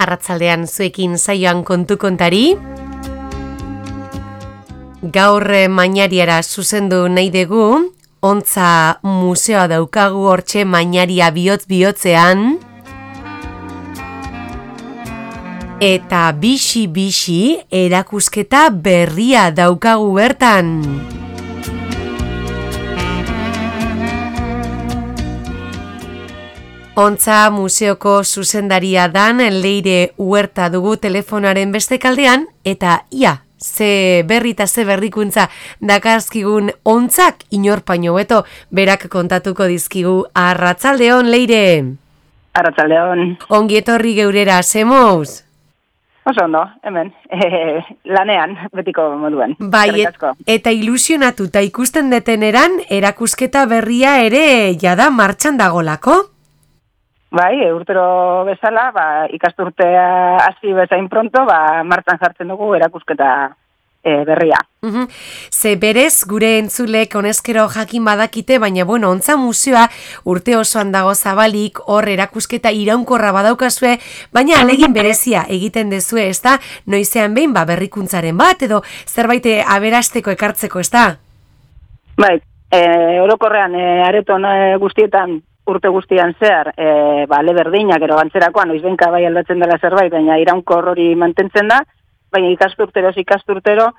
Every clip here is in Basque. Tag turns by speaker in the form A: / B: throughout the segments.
A: arratsaldean zuekin saioan kontu kontari. Gaur Mañariara zuzendu nahi dugu, Ontza museoa daukagu hortxe Mañaria bihotz-bihotzean. Eta bixi-bixi erakusketa berria daukagu bertan. Ontza museoko zuzendaria dan Leire Huerta dugu telefonaren beste kaldean, eta ze berri eta ze berrikuntza dakarzkigun ontzak inorpaino beto berak kontatuko dizkigu. Arratsaldeon, Leire.
B: Arratsaldeon.
A: Ongi etorri geurera, zemoz?
B: Oso ondo, hemen, lanean, betiko moduan.
A: Bai, eta ilusionatuta ikusten deteneran, erakusketa berria ere jada martxan dagolako?
B: Bai, urtero bezala, ikasturtea hasi bezain pronto, martxan jartzen dugu erakusketa berria.
A: Ze berez, gure entzulek honezkero jakin badakite, baina Ontza museoa urte osoan dago zabalik, hor erakusketa iraunkorra badaukazue, baina alegin berezia egiten dezue, ezta? Noizean behin berrikuntzaren bat, edo zerbait aberasteko ekartzeko, ezta?
B: Bai, orokorrean areton guztietan, urte guztian zehar, ale berdinak, ero gantzerakoan, noizbenka bai aldatzen dela zerbait, baina iraunkor hori mantentzen da, baina ikasturtero,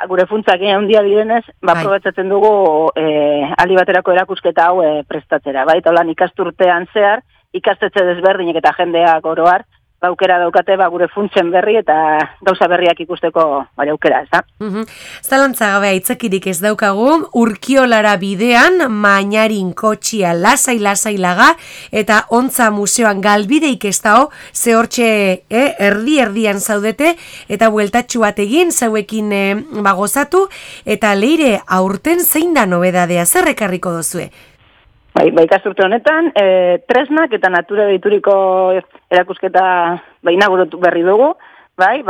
B: gure funtzak handia direnez, aprobetzatzen dugu aldi baterako erakusketa hau prestatzera. Bai, eta ikasturtean zehar, ikastetxe desberdinek eta jendeak oroar, aukera daukate gure funtzen berri eta gauza berriak ikusteko aukera, ez da?
A: Zalantza gabe aitzakirik ez daukagu, Urkiolara bidean, Mañarin kotxia lasai laga, eta Ontza museoan galbideik ez dao, ze hortxe erdian zaudete, eta bueltatxu bat egin, zauekin gozatu, eta Leire, aurten zein da nobedadea, zer ekarriko dozue?
B: Bai, ikasturte honetan, tresnak eta natura deituriko erakusketa inauguratu berri dugu, bai,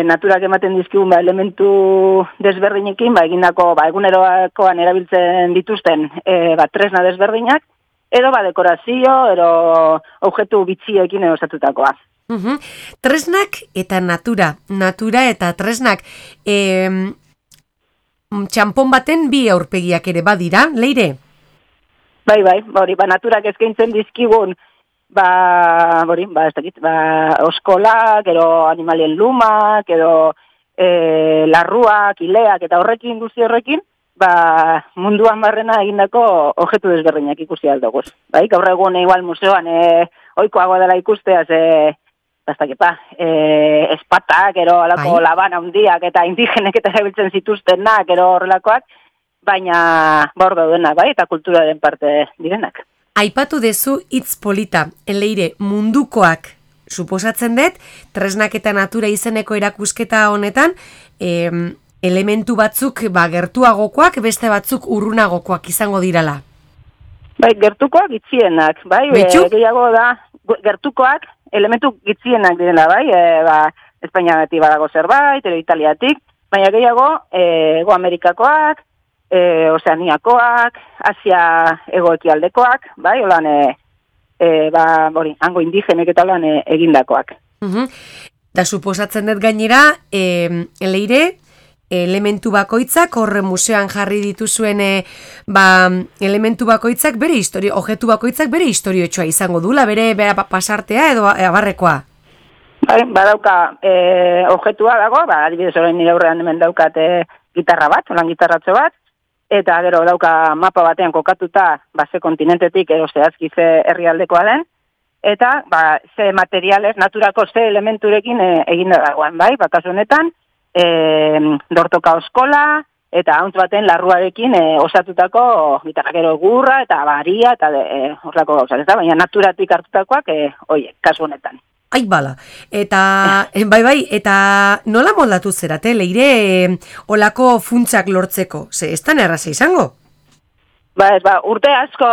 B: naturak ematen dizkigun elementu desberdinekin, egindako egunerokoan erabiltzen dituzten tresna desberdinak, edo dekorazio, edo objektu bitxiekin osatutakoa.
A: Tresnak eta natura eta tresnak, txampon baten bi aurpegiak ere badira, Leire?
B: Bai, naturak eskaintzen dizkigun, oskolak, edo animalien lumak, edo larruak, ileak, eta guzti horrekin, munduan barrena egindako objektu desberdinak ikusi aldoguz. Bai, gaur egun igual museoan ohikoagoa dela ikustea, espatak, ero alako labana handiak, eta indigenek eta erabiltzen zituztenak, ero horrelakoak, baina hor daudenak, eta kulturaren parte direnak.
A: Aipatu dezu hitz polita, Leire, mundukoak, suposatzen dut, tresnak eta natura izeneko erakusketa honetan, elementu batzuk gertuagokoak, beste batzuk urrunagokoak izango dirala.
B: Bai, gertukoak gitzienak, gehiago da, gertukoak elementu gitzienak direla, Espainiagatik badago zerbait, edo Italiatik, baina gehiago, Ego Amerikakoak, Ozeaniakoak, Asia egoekialdekoak, hango indigenek eta egindakoak.
A: Da suposatzen dut gainera, Leire, elementu bakoitzak, horre museoan jarri dituzuen elementu bakoitzak bere historio, objektu bakoitzak bere historiotxoa izango dula, bere pasartea edo abarrekoa.
B: Badauka objektua dago, adibidez orain nire aurrean hemen daukat gitarra bat, gitarratxo bat, eta gero dauka mapa batean kokatuta, ze kontinentetik edo zehazki ze herrialdekoa den, eta ze materiales, naturako ze elementurekin eginda dagoen, kasu honetan, dortoka oskola, eta hauntz baten larruarekin osatutako gitarra, gero gurra, eta baria, eta horrelako gauzak, baina naturatik hartutakoak, kasu honetan.
A: Ai, bala. Eta, eta nola moldatu zerate, Leire, olako funtzak lortzeko? Ze, ez da erraza izango?
B: Urte asko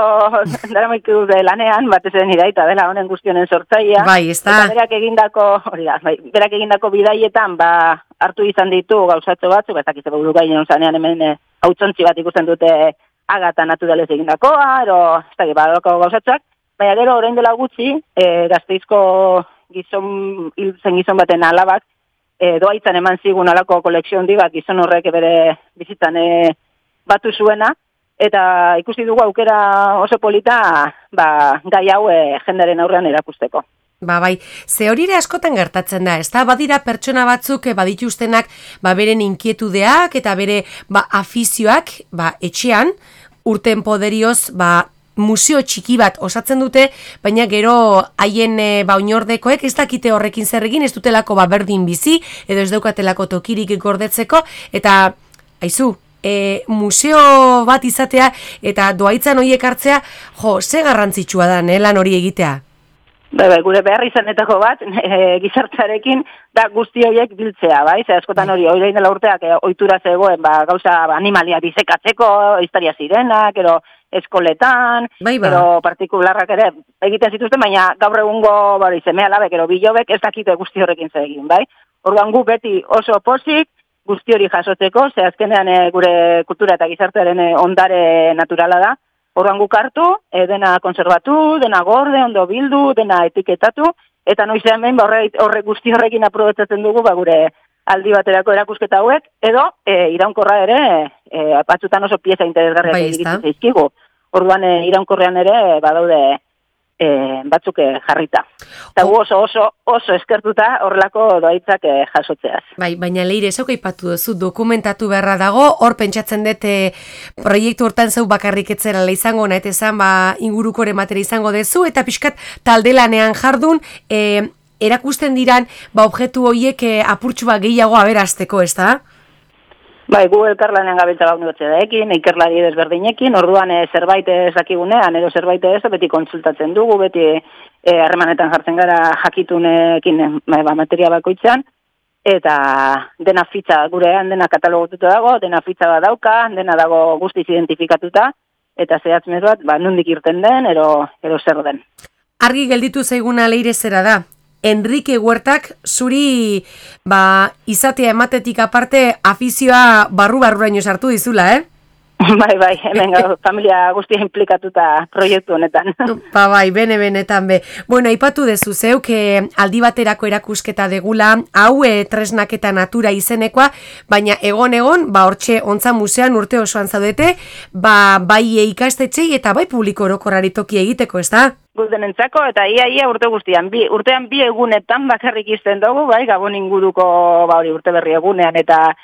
B: daramaik dute lanean, batez ere nire aita dela honen guztionen sortzaia.
A: Ez da.
B: Eta berak egindako bidaietan, hartu izan ditu gauzatxo batzuk, ez dakize buru gainen zanean hemen hautsontzi bat ikusten dute agata naturalez egindakoa, ero ez dakit gauzatxoak, baina gero orain dela gutxi, Gasteizko gizon baten alabak, doaitzan eman zigun alako kolekzio handi bat, gizon horrek bere bizitzan batu zuena, eta ikusi dugu aukera oso polita, gai hau jendaren aurrean erakusteko.
A: Bai, ze hori ere askotan gertatzen da, ezta? Badira pertsona batzuk badituztenak beren inkietudeak eta bere afizioak etxean, urten poderioz museo txiki bat osatzen dute, baina gero haien oinordekoek ez dakite horrekin zer egin, ez dutelako berdin bizi, edo ez daukatelako tokirik gordetzeko, eta aizu, museo bat izatea eta doaitzan horiek hartzea, ze garrantzitsua da, lan hori egitea?
B: Gure behar izanetako bat, gizartzarekin, da guzti horiek biltzea, bai? Zer askotan hori, hori dela urteak, ohitura zegoen, gauza animalia disekatzeko, historia zirenak, ero eskoletan, ero partikularrak ere egiten zituzten, baina gaur egungo seme alabek, ero bilobek ez dakite guzti horrekin zegin, bai? Orduan gu beti oso pozik, guzti hori jasotzeko, ze azkenean gure kultura eta gizartearen ondare naturala da, orduan guk hartu, dena konservatu, dena gorde, ondo bildu, dena etiketatu, eta noizean behin guzti horrekin aprobetzatzen dugu gure aldi baterako erakusketa hauek, edo iraunkorra ere, batzutan oso pieza interesgarriak egiten zaizkigu. Orduan iraunkorrean ere badaude batzuk jarrita. Eta gu oso eskertuta horrelako doaitzak jasotzeaz.
A: Baina Leire, zeu aipatu duzu, dokumentatu beharra dago, hor pentsatzen dut proiektu hortan zeu bakarrik etzerala izango, nahet ezan ingurukore matera izango dezu, eta pixkat taldelanean jardun, erakusten diran objektu horiek apurtxu gehiago aberazteko, ez da?
B: Gu elkarlanean gabiltza unibertsitateekin, ikerlari desberdinekin, orduan zerbait ez dakigunean, edo zerbait ez, beti konsultatzen dugu, beti harremanetan jartzen gara jakitunekin materia bakoitzean, eta dena fitxa gurean, dena katalogotuta dago, dena fitxa bat dauka, dena dago guztiz identifikatuta, eta zehatzmez bat, nondik irten den, ero zer den.
A: Argi gelditu zaiguna Leire zera da. Enrique Huertak zuri izatea ematetik aparte afizioa barru-barruraino sartu dizula,
B: Bai, hemen familia guztia implikatuta proiektu honetan.
A: Benetan be. Bueno, aipatu dezu zeuk aldi baterako erakusketa degula, hau tresnak eta natura izenekoa, baina egon, hortxe ontza musean urte osoan zaudete, bai ikastetxei eta bai publiko orokorrari toki egiteko, ez da?
B: Guztenentzako, eta ia urte guztian, urtean bi egunetan bakarrik izten dugu, bai, Gabon inguruko urte berri egunean eta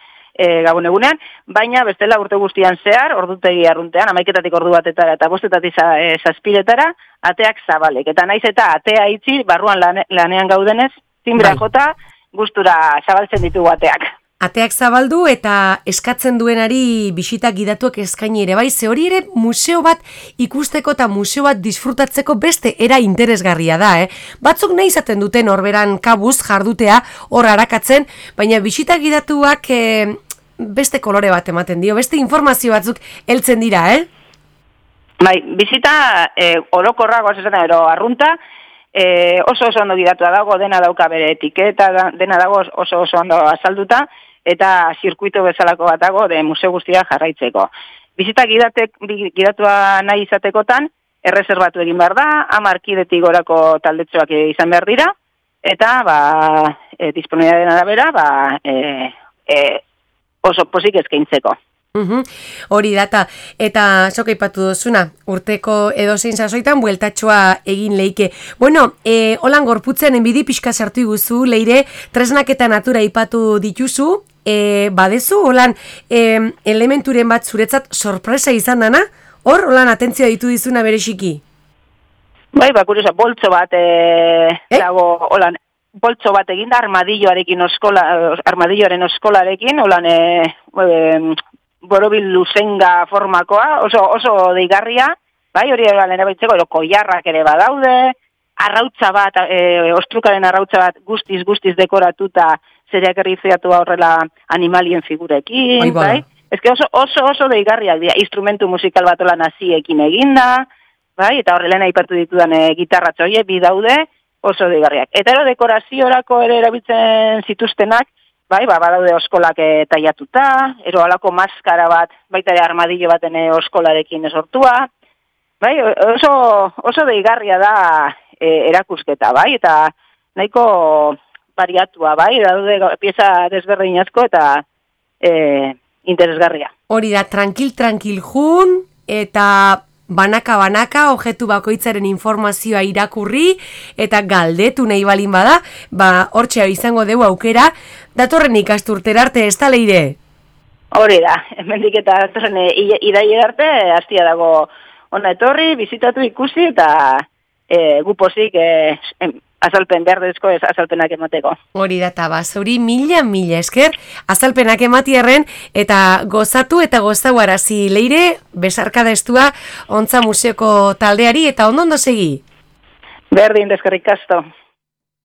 B: Gabon egunean, baina bestela urte guztian zehar, ordutegi arruntean, 11 ordu batetara eta 5 zazpiretara, ateak zabalek. Eta naiz eta atea itzi, barruan lanean gaudenez, timbra jota, gustura zabaltzen ditugu ateak.
A: Ateak zabaldu eta eskatzen duenari bisitak gidatuak eskaini ere, bai, ze hori ere museo bat ikusteko eta museo bat disfrutatzeko beste era interesgarria da, Batzuk nahi izaten duten horberan kabuz jardutea, hor harakatzen, baina bisitak gidatuak beste kolore bat ematen dio, beste informazio batzuk heltzen dira,
B: Bai, bisita orokorra goazetan ero arrunta, oso ondo gidatua dago, dena dauka bere etiketa, dena dago oso ondo azalduta, eta zirkuito bezalako bat dago de museo guztia jarraitzeko. Bizita gidatua nahi izatekotan, erreserbatu egin behar da, 10 kidetik gorako taldetxoak izan behar dira, eta disponibilitatearen arabera oso pozik eskaintzeko.
A: Hori data, eta sok aipatu duzuna, urteko edozein sasoitan bueltatxoa egin leike. Bueno, holan gorputzen enbidi pixka sartu iguzu, Leire, tresnak eta natura aipatu dituzu, badezu, holan elementuren bat zuretzat sorpresa izan dana, hor, holan atentzioa ditu dizuna bereziki?
B: Bai, kuriosa, boltso bat dago, holan, boltso bat eginda armadilloaren oskolarekin, holan, borobil luzenga formakoa, oso deigarria, bai, hori erabiltzeko, koiarrak ere badaude, arrautza bat, ostrukaren arrautza bat guztiz dekoratuta, zereak errizeatu horrela animalien figurekin, bai? Ezke oso deigarriak dira, instrumentu musikal bat olan naziekin eginda, bai, eta horrela aipatu ditudan gitarratxo horiek bi daude, oso deigarriak. Eta dekoraziorako ere erabiltzen zituztenak, bai, badaude oskolak taiatuta, ero alako maskara bat, baita ere armadillo baten oskolarekin sortua, bai, oso deigarria da erakusketa, bai, eta nahiko variatua, bai, daude pieza desberdin asko eta interesgarria.
A: Hori da, tranquil jun, eta banaka objektu bakoitzaren informazioa irakurri, eta galdetu nahi balin bada, hortxe izango dugu aukera, datorren ikasturtera arte, ez da Leire?
B: Hori da, hemendik eta datorren iraiera arte, hastia dago ona etorri, bizitatu ikusi, eta gupozik azalpen berdezko azalpenak emateko.
A: Hori da, eta zuri mila esker, azalpenak ematierren, eta gozatu eta gozauarazi Leire, besarkada estua, Ontza Museoko taldeari, eta ondo segi?
B: Berdin, deskerrik asko.